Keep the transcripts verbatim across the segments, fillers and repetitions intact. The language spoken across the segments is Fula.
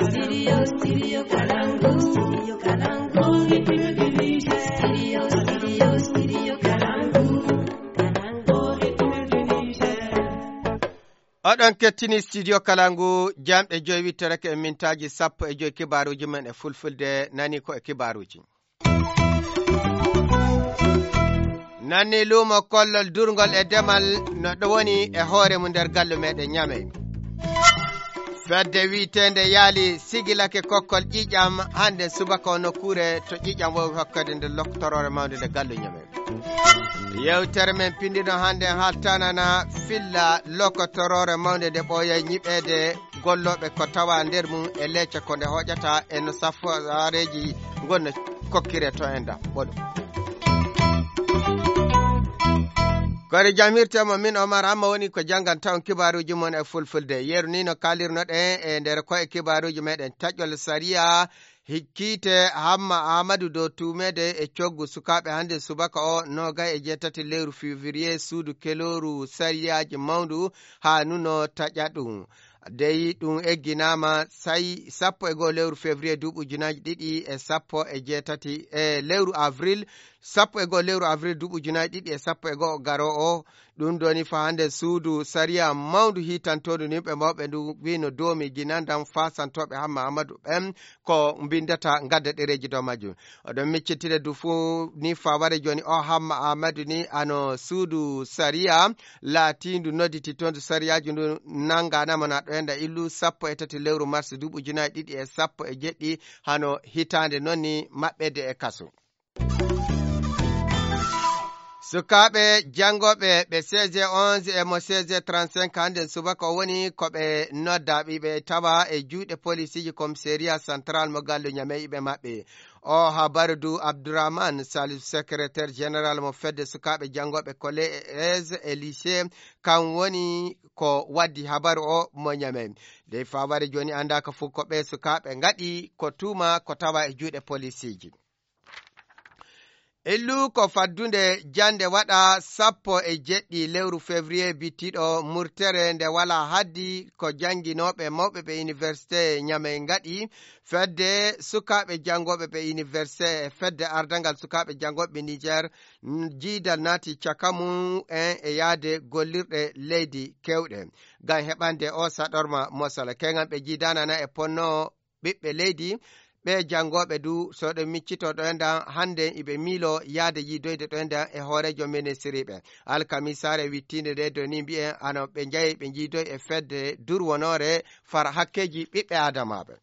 Studio, studio Kalangu, studio Kalangu, studio, studio, studio Kalangu, Kalangu, Niger. Oɗon kettini studio Kalangu, jamɗe joyi wittorake e mintaaji sappo e joyi kibaaruuji men e fulfulde, nani ko e kibaaruuji. Nanni luumo kollol durngol e demal no ɗo woni e hoore mum nder gallu meɗen Ñamey. Fedde wiyeteende Yaali sigilake kokkol ƴiiƴam hannde subaka o nokkuure to ƴiiƴam wowi hokkede nde loktoroore mawnde nde gallu Ñamey. Yewtere men pinndino hannde haltanana filla lokotoroore mawnde nde ɓooyay ñiɓeede gollooɓe ko tawa nder mum e leece ko nde hoƴata e no safaareeji ngonno kokkire to enda ɓoɗo. Kori jam hirte mo min Omar Hamma woni ko jannganta on kibaaruuji mon e fulfulde. Yeru ni no kaalirnoɗen e nder ko e kibaaruuji meɗen taƴol sariya hikkiite Hamma Amadou dow tuumeede e coggu sukaaɓe hannde subaka o noogay e jeetati lewru février suudu kelooru sariyaaji mawndu haa nuno taƴa ɗum. Dey ɗum egginaama say sappo e go'o lewru février duuɓi ujunaaji ɗiɗi e sappo e jeetati e lewru avril, sappo e go'o lewru avril duuɓi ujunaaji ɗiɗi e sappo e go'o garoo o. Ɗum ɗoni fa hannde suudu sariya mawndu hiitantoondu yimɓe mawɓe ndu wino doomi ginandam faasantooɓe Hamma Amadou ɓen ko mbinndata ngadda ɗereeji dow majjum. Oɗon miccitire du fuu ni faware jooni o Hamma Amadou ni ano suudu sariya laatiindu nodditi toon du sariyaaji ndu nannganama na ɗo enda illu sappo e tati lewru mars duuɓi ujunaaji ɗiɗi e sappo e jeɗɗi hano hitaande noon ni maɓɓede e kaso. Sukaaɓe janngooɓe ɓe seize onze e mo seize trente-cinq hannden subaka o woni ko ɓe nodda ɓiɓe tawa e juuɗe polisiiji commissariat central mo gallu Ñamey ɓe maɓɓe. O habaru du Abdourahmane Salif, secrétaire général mo fedde sukaaɓe janngooɓe collège et lycée, kan woni ko waddi habaru o mo Ñamey. Dey faware jooni anndaaka fuu ko ɓe sukaaɓe ngaɗi ko tuuma ko tawa e juuɗe polisiiji. Illu ko faddunde jannde waɗa sappo e jeɗɗi lewru février bittiɗo murtere nde wala haddi ko jannginooɓe mawɓe ɓe université Ñamey ngaɗi fedde sukaaɓe janngooɓe ɓe université e fedde ardangal sukaaɓe janngooɓe Niger, n-, jiidal naati caka mum en e yaade gollirɗe leydi kewɗe. Ngam heɓande o saɗorma mosala, keŋal ɓe jiidanana e ponno ɓiɓɓe leydi, ɓe janngooɓe du, so ɗo miccito ɗo enɗan, hannde iɓe miilo yaade yiidoyde ɗo enɗan e hooreejo ministiriiɓe. Alkamisaare wittiinde nde do ni mbi'en, ano ɓe njahi ɓe njiidoy e fedde durwonoore far hakkeeji ɓiɓɓe aadamaaɓe.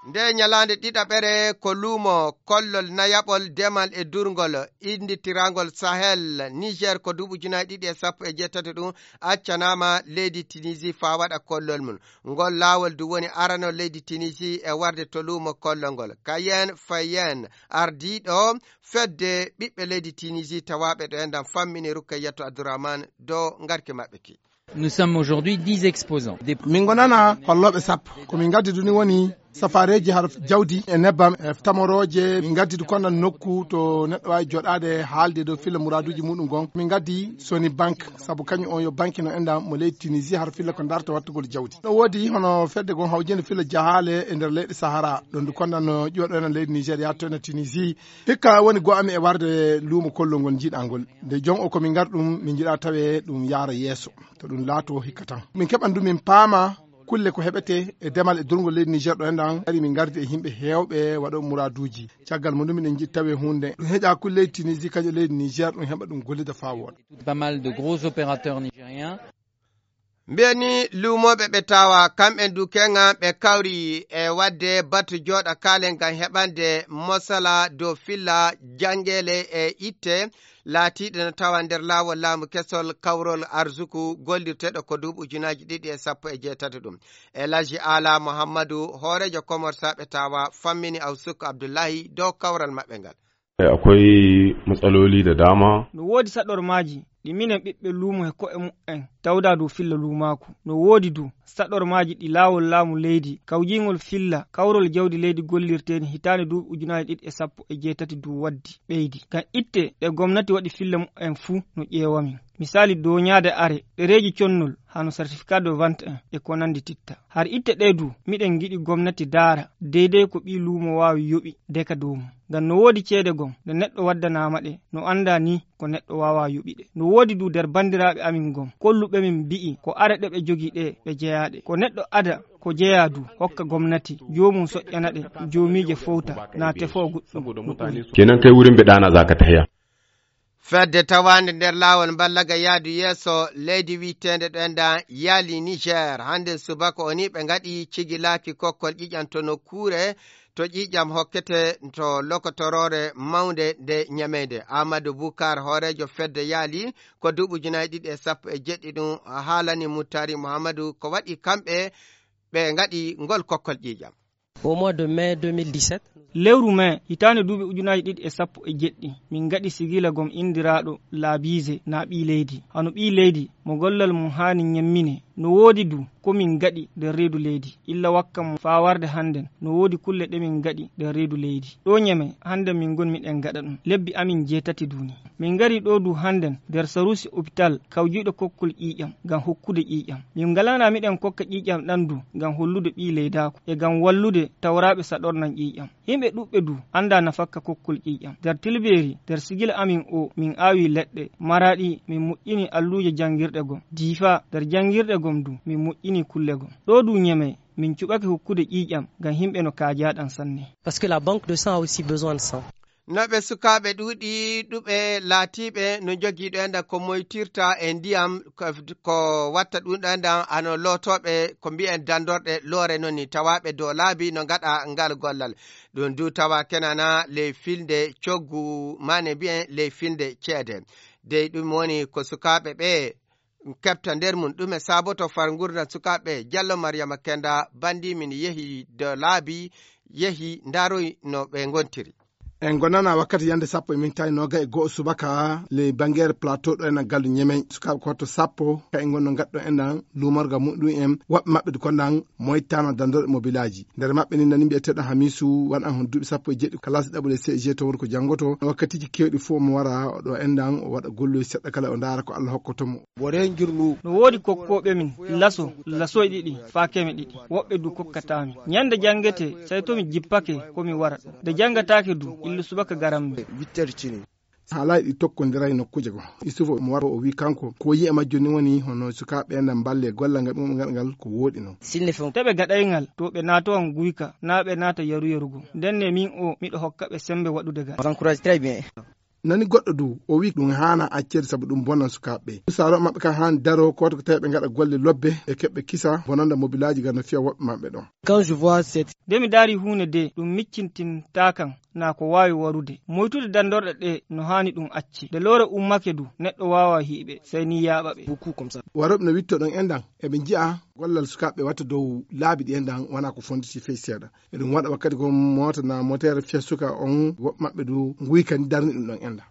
Nde ñalaande ɗiɗaɓere ko luumo kollol nayaɓol demal e durngol innditirangol Sahel Niger ko duuɓi ujunaaji ɗiɗi e sappo e jeetati ɗum accanaama leydi Tunisie faa waɗa kollol mum. Ngol laawol du woni arano leydi Tunisie e warde to luumo kollol ngol. Kayen Fayen ardiiɗo fedde ɓiɓɓe leydi Tunisie tawaaɓe ɗo enɗan fammini Rukkayatu Abdourahmane dow ngarki maɓɓe ki. Nous sommes aujourd'hui dix exposants. Des Min ngonana hollooɓe sappo. Ko min ngaddi du ni woni safaareeji har jawdi e nebbam e tamorooje. Min ngaddi du konnan nokku to neɗɗo waawi jooɗaade haalde dow filla muraaduuji muɗum gon. Min ngaddi Sony Bank, sabu kañum on yo banki no enɗan mo leydi Tunisie har filla ko darta wattugol jawdi. No woodi hono fedde gon hawjinde filla jahaale e nder leyɗe Sahara. Ɗon du konnan no ƴuwa ɗo ena leydi Niger yahto ena Tunisie. Hikka woni go amin e warde luumo kollol ngol njiɗaa ngol. Nde jon o ko min ngar ɗum, min njiɗaa tawe ɗum yaara yeeso. To ɗum laato hikka tan. Min keɓan du min paama kulle ko heɓete e demal e durngol leydi Niger ɗo enɗan. Ari min ngardi e yimɓe heewɓe waɗo muraaduuji. Caggal mum ɗum miɗen njiɗi tawe huunde. Ɗum heƴa kulle leydi Tunisie, kañum leydi Niger, ɗum heɓa ɗum gollida faa wooɗa. Pas mal de gros opérateurs nigériens. Mbiyen ni luumooɓe ɓe tawa, kamɓen du keŋa ɓe kawri e waɗde batu jooɗa kaalen ngam heɓande mosala dow filla janngeele e itte laatiiɗe no tawa nder laawol laamu kesol kawrol arsuku gollirteeɗo ko duuɓi ujunaaji ɗiɗi e sappo e jeetati ɗum. El Hadji Ala Muhammadu, hooreejo Komorsaaɓe tawa, fammini Awsuk Abdullahi dow kawral maɓɓe ngal. Akwai matsaloli da dama. No woodi saɗormaaji ɗi minen ɓiɓɓe luumo he ko'e mu'en tawdaa dow filla luumaaku. No woodi du saɗormaaji ɗi laawol laamu leydi kawjiingol filla kawrol jawdi leydi gollirteeni hitaande duuɓi ujunaaji ɗiɗi e sappo e jeetati du waddi ɓeydi. Ngam itte ɗe gomnati waɗi filla mu'en fuu no ƴeewamin. Misaali, doñaade are, ɗereeji connol, hano certificat de vente en, e ko nanndi titta. Har itte ɗee du, miɗen ngiɗi gomnati daara, deydey ko ɓii luumo waawi yoɓi, deka dow mum. Ngam no woodi ceede gom, nde neɗɗo waddanaama ɗe, no anndaa ni ko neɗɗo waawaa yoɓi ɗe. No woodi du nder banndiraaɓe amin gom, kolluɓe min mbi'i ko are ɗe ɓe jogii ɗe, ɓe jeyaa ɗe. Ko neɗɗo ada ko jeyaa du, hokka gomnati, joomum soƴƴana ɗe, joomiije fowta, na tefoo goɗɗum. Kenan kai wurin ɓe ɗana za ka tahiya. Fedde tawaande nder laawol mballaga yaadu yeeso leydi wiyeteende ɗo enda Yali Niger. Hannde subaka o ni ɓe ngaɗi cigilaaki kokkol ƴiƴam to nokkuure to ƴiƴam hokkete to lokotoroore mawnde nde Ñamey nde. Amadou Boukar, hooreejo fedde Yali ko duuɓi ujunaaji ɗiɗi e sappo e jeɗɗi ɗum haalani Muttari Muhammadu ko waɗi kamɓe ɓe ngaɗi ngol kokkol ƴiƴam. Au mois de mai deux mille dix-sept. Lewru mai, hitaande duuɓi ujunaaji ɗiɗi e sappo e jeɗɗi, min ngaɗi sigila gom inndiraaɗo Laabiise na ɓii leydi. Hano ɓii leydi, mo gollal mum haani ñemmine, no woodi du ko min ngaɗi nder reedu leydi. Illa wakka mo faa warde hannden, no woodi kulle ɗe min ngaɗi nder reedu leydi. Ɗo Ñamey, hannden min ngoni miɗen ngaɗa ɗum. Lebbi amin jeetati du ni. Min ngari ɗo du hannden nder saruusi opital kawjiiɗo kokkol ƴiiƴam ngam hokkude ƴiiƴam. Min ngalana miɗen kokka ƴiiƴam ɗam du ngam hollude ɓii leydaaku e ngam wallude tawraaɓe saɗornan ƴiiƴam. Yimɓe ɗuɓɓe du anndaa nafakka kokkol ƴiiƴam. Nder Tilbeeri, nder sigila amin o, min aawi leɗɗe, Maraɗi, min moƴƴini alluuje janngirɗe gom. Diifa, nder janngirɗe gom du, min moƴƴini kulle gom. Ɗo du Ñamey, min cuɓake hokkude ƴiiƴam ngam yimɓe no kaajaa ɗam sanne. Parce que la banque de sang a aussi besoin de sang. No ɓe sukaaɓe ɗuuɗi ɗuɓe laatiiɓe no njogii ɗo enɗan ko moytirta e ndiyam, ko, ko watta ɗum ɗo enɗan hano lootooɓe ko mbiyen dandorɗe loore noon ni, tawaaɓe dow laabi no ngaɗa ngal gollal. Ɗum du tawa kenana ley filnde coggu, maane mbiyen ley filnde ceede. Dey ɗum woni ko sukaaɓe ɓe keɓta nder mum. Ɗume saaboto far ngurndan sukaaɓe? Jallo Mariama Kenda, banndi min yehi dow laabi, yehi ndaroy no ɓe ngontiri. En ngonana wakkati yande sappo e mintaji noga e go'o subaka ley Bangere Plateau ɗo ena gallu Ñemey. Sukaaɓe ko to sappo ka en ngonno ngaddo enɗan luumorga muɗum en, woɓɓe maɓɓe du konɗan moytano dandorɗe mobilaji. Nder maɓɓe ni nani mbiyeteɗo Hamisu, wan an hon duuɓi sappo e jeɗɗi, kalasi ɗaɓɓude C G to woni ko janngoto. Wakkatiji kewɗi fof omo wara ɗo enɗan, o waɗa golloy seɗɗa kala, o ndaara ko Allah hokkoto mo. Woore ngirlu. No woodi kokkooɓe min laso, lasoy ɗiɗi, faa keme ɗiɗi. Woɓɓe du kokkataa mi. Ñande janngete, sey to mi jippake ko mi wara ɗo. Nde janngataake du, illu subaka garam mi. Witter cini. Haalaaji ɗi tokkondiray nokkuuje goo. Isufu omo wara, o wii kanko, ko yi'e majjo ni woni hono sukaaɓe ɓe na mballe gollal ngal ɓe ngaɗa ngal ko wooɗi non. Te ɓe gaɗay ngal, to ɓe naatowan guyka, naa ɓe naata yaru-yaru goo. Ndenne min o, miɗo hokka ɓe semmbe waɗude ngal. Nani goɗɗo du, o wii ɗum haana accede sabu ɗum bonan sukaaɓe ɓe. Saaro maɓɓe kan haani daroo, kooto ko tawi ɓe ngaɗa golle lobbe, ɓe keɓɓe kisa bonanda mobilaaji ngal no fiya woɓɓe maɓɓe ɗon. Quand je vois cette. Nde mi daari huunde de, ɗum miccintintaa kan, naa ko waawi warude. Moytude dandorɗe ɗe no haani ɗum acce. Nde loore ummake du, neɗɗo waawaa hiiɓe, sey ni yaaɓa ɓe. Beaucoup comme ça. Warooɓe no witto ɗon enɗan, eɓe nji'a gollal sukaaɓe watta dow laabi ɗi enɗan, wonaa ko fonditi fey seeɗa. Eɗum waɗa wakkati ko moota na moteere fiya suka on, woɓɓe maɓɓe du nguyka ni darni ɗum ɗon enɗan.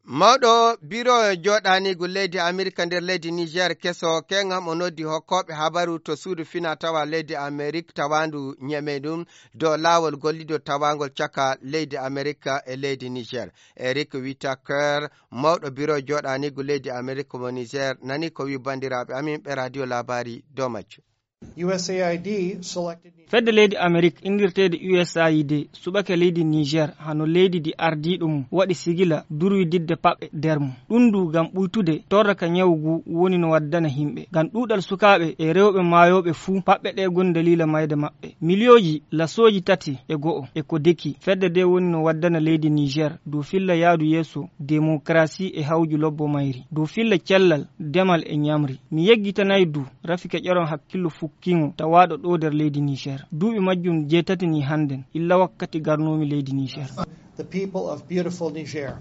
Mawɗo biro jooɗaaniigu leydi Amerika nder leydi Niger keso, keŋam o noddi hokkooɓe habaru to suudu fina tawa leydi Amerik tawaandu Ñemey ɗum dow laawol gollido tawaangol caka leydi Amerika e leydi Niger. Eric Whitaker, mawɗo biro jooɗaaniigu leydi Amerik mo Niger, nani ko wi banndiraaɓe amin ɓe radio labari dow majjum. U S A I D selected Niger. Fedde leydi Amerik inndirteede U S A I D suɓake leydi Niger hano leydi ndi ardiiɗo mum waɗi sigila durwididde paɓɓe nder mum. Ɗum ndu ngam ɓuytude torra ka ñawu ngu woni no waddana yimɓe. Ngam ɗuuɗal sukaaɓe e rewɓe maayooɓe fuu, paɓɓe ɗe ngoni daliila mayde maɓɓe. Miliyooji lasooji tati e go'o e ko deki. Fedde nde woni no waddana leydi Niger dow filla yaadu yeeso demokarasi e hawju lobbo mayri, dow filla cellal, demal e ñamri. Mi yeggitanay du Rafika Ƴeron hakkillo fukkiŋo tawaaɗo ɗo nder leydi Niger. Duuɓi majjum jeetati ni hannden, illa wakkati garnoomi leydi Niger. The people of beautiful Niger.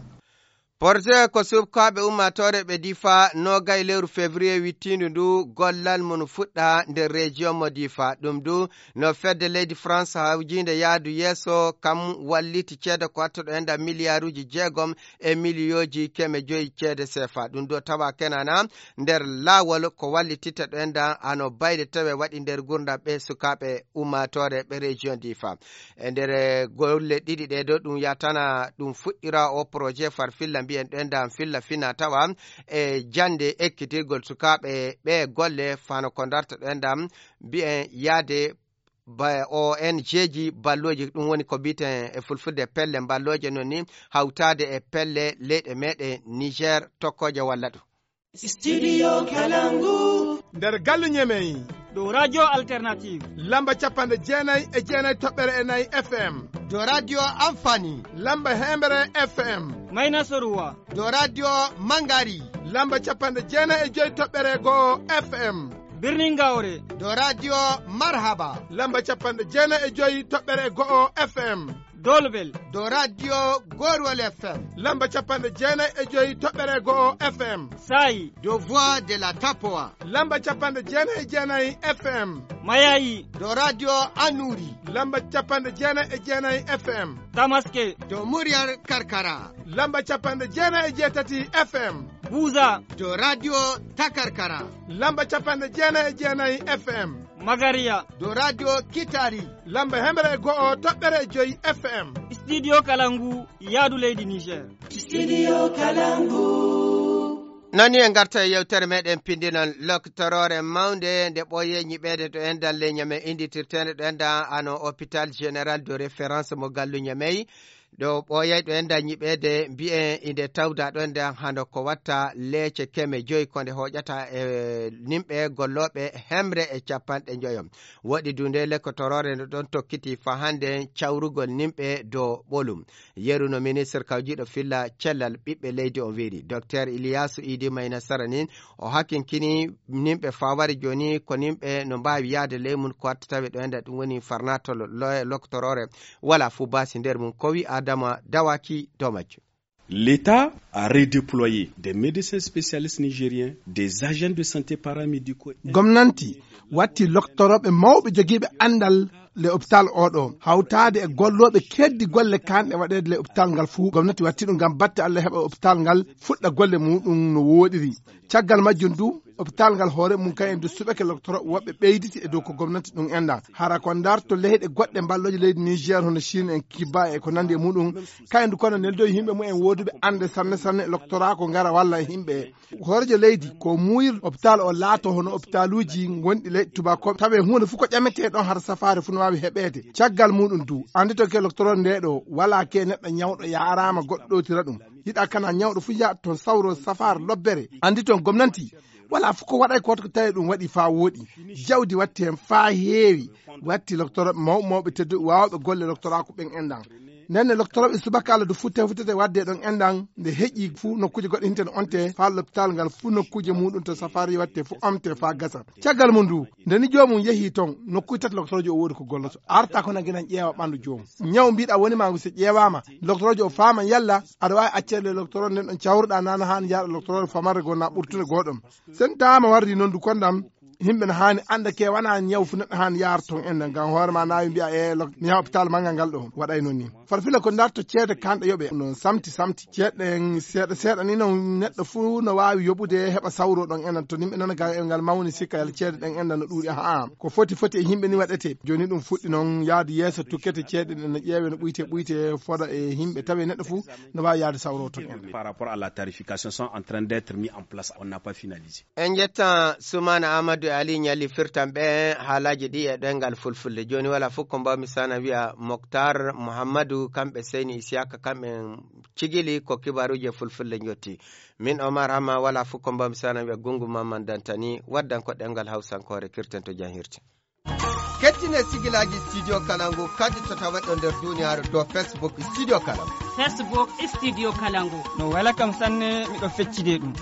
Porte ko sukaaɓe ummaatoore ɓe Difa noogay lewru février wittiindu ndu gollal mum fuɗɗa nder région mo Difa. Ɗum du no fedde leydi France hawjiinde yaadu yeeso kam walliti ceede ko wattuɗo e nder miliyaaruuji jeegom e miliyooji keme joyi ceede sefa. Ɗum ɗo tawa kenana nder laawol ko wallititta ɗo enɗan hano bayde tawe waɗi nder gurdam ɓe sukaaɓe ummaatoore ɓe région Difa. E nder golle ɗiɗi ɗe ɗo ɗum yatana ɗum fuɗɗira o projet farfilla Mbiyen ɗo enɗan filla fina tawa e jannde ekkitirgol sukaaɓe ɓe golle fano ko darta ɗo enɗan mbiyen yaade ba-, O N G ji ballooji, ɗum woni ko mbiyeten e fulfulde pelle mballooje, non ni hawtaade e pelle leyɗe meɗen Niger tokkooje walla ɗum. Studio Kalangu. Nder gallu Ñemey. Ɗo Radio Alternative. Lamba capanɗe jeenayi e jeenayi toɓɓere e nayi F M. Ɗo Radio Amfani. Lamba hemre F M. Mayna Soruwa. Ɗo Radio Mangari. Lamba capanɗe jeenayi e joyi toɓɓere go'o F M. Birnin Gaure. Ɗo Radio Marhaba. Lamba capanɗe jeenayi e joyi toɓɓere go'o F M. Dolbel. Ɗo Radio Gorwal F M. Lamba capanɗe jeenayi e joyi toɓɓere go'o F M. Sayi. Ɗo Voix de la Tapoa. Lamba capanɗe jeenayi e jeenayi F M. Mayayi. Ɗo Radio Anuri. Lamba capanɗe jeenayi e jeenayi F M. Tamaske. Ɗo Muryar Karkara. Lamba capanɗe jeenayi e jeetati F M. Buza. Ɗo Radio Takarkara. Lamba capanɗe jeenayi e jeenayi F M. Magariya. Ɗo Radio Kitari. Lamba hemre e go'o toɓɓere e joyi F M. Studio Kalangu, yaadu leydi Niger. Studio Kalangu. Nani en ngarta e yewtere meɗen pindinon loktoroore mawnde nde ɓooye ñiɓeede to enɗan le Ñamey, innditirteende ɗo enɗan ano hôpital général de référence mo gallu Ñamey. Ɗo ɓooyay ɗo enɗan ñiɓeede mbiyen inde tawda ɗo enɗan hano ko watta leece keme joyi ko nde hoƴata e nimɓe gollooɓe hemre e capanɗe njoyo. Woɗi du nde loktoroore nde ɗon tokkiti fa hannde cawrugol nimɓe dow ɓolum. Yeru no ministre kawjiiɗo filla cellal ɓiɓɓe leydi on wiiri. Docteur Iliyasu Idi Mayna Sara nin o hakinkini nimɓe fa wari jooni ko nimɓe no mbaawi yahde ley mun ko watta tawi ɗo enɗan ɗum woni farnatol lo-, loktoroore wala fu baasi nder mun. Ko wi Adama Dawaki dow majjum. L'État a redéployé des médecins spécialistes nigériens, des agents de santé paramédicaux. Gomnanti watti loktorooɓe mawɓe jogiiɓe anndal le hôpital oɗo, hawtaade e gollooɓe keddi golle kanɗe waɗeede le hôpital ngal fuu. Gomnati watti ɗum ngam batte Allah heɓa hôpital ngal fuɗɗa golle muɗum no wooɗiri. Caggal majjum du, hôpital ngal hoore mum kayen du suɓake loktorooɓe woɓɓe ɓeyditi e dow ko gomnati ɗum enɗan. Hara ko ndarto leyɗe goɗɗe mballooje leydi Niger hono Chine en, Cuba e ko nandi e muɗum. Kayen du kono neldoyi yimɓe mumen wooduɓe annde sanne sanne e loktoraa ko ngara walla e yimɓe. Hooreejo leydi ko muuyir hôpital o laato hono hôpitaluuji gonɗi leyɗe tubakooɓe. Tawe huunde fof ko ƴametee ɗon hara safaare fof no waawi heɓeede. Caggal muɗum du, anndi to ke loktoroo nde ɗo, walaa ke neɗɗo ñawɗo yaaraama goɗɗo ɗowtira ɗum. Yiɗa kana ñawɗo fof yaha toon sawro safaare lobbere. Anndi toon gomnanti, walaa fof ko waɗay ko waɗi ko tawi ɗum waɗi faa wooɗi. Jawdi watti heen faa heewi, watti loktorooɓe mawɓe mawɓe tedduɓe waawɓe golle loktoraa ko ɓen enɗan. Nden ne loktorooɓe subaka Allah du futte futtete waɗde ɗon enɗan nde heƴi fuu nokkuuje goɗɗe hinte no onte faa lopital ngal fuu nokkuuje muɗum to safaari watte fuu omte faa gasa. Caggal mum du, nde ni joomum yehi toon nokkuuje tati loktoroojo o woodi ko golloto. Arta ko na ginan ƴeewa ɓanndu joomum. Ñaw mbiɗa woni ma so ƴeewaama, loktoroojo o faama yalla aɗa waawi accede loktoroo nden ɗon cawruɗaa nana haan yaaɗa loktoroo famarde goo na ɓurtude goo ɗon. Sen taama wardi noon du kondam, yimɓe no haani annda ke wona ñaw fu neɗɗo haani yaara toon en ngam hoore ma naawi mbiya e lok-, mi yaha hôpital manngal ngal ɗo waɗay noon ni. Farfila ko ndarto ceede kanɗe yoɓe no samti samti. Ceeɗe ɗen seeɗa seeɗa ni noon neɗɗo fuu no waawi yoɓude heɓa sawro ɗon en to nimɓe nana ga e ngal mawni sikka yalla ceede ɗen en no ɗuuɗi. Ahaa, ko foti foti e yimɓe ni waɗete. Jooni ɗum fuɗɗi noon yaadu yeeso tukkete ceeɗe ɗen no ƴeewe no ɓuyte ɓuyte foda e yimɓe tawi neɗɗo fuu no waawi yaade sawro toon en. Par rapport à la tarification sont en train d'être mis en place, on n'a pas finalisé. En njettan Sumaana Amadou e Ali Ñalli firtan ɓe haalaaji ɗi e ɗoyngal fulfulde. Jooni wala fof ko mbawmi sana wiya Moktar Mouhamadou, kamɓe Seyni Isiyaka, kamɓe cigili ko kibaruuji e fulfulde njotti. Min Omar Hama wala fof ko mbawmi sana wiya Gungu Mamman Dantani, waddan ko ɗemngal Hawsankoore kirten to janhirti. Kettine sigilaaji Studio Kalangu kadi to tawa ɗo nder duniyaaru to Facebook Studio Kalangu. Facebook Studio Kalangu. No wela kam sanne, miɗo feccide ɗum.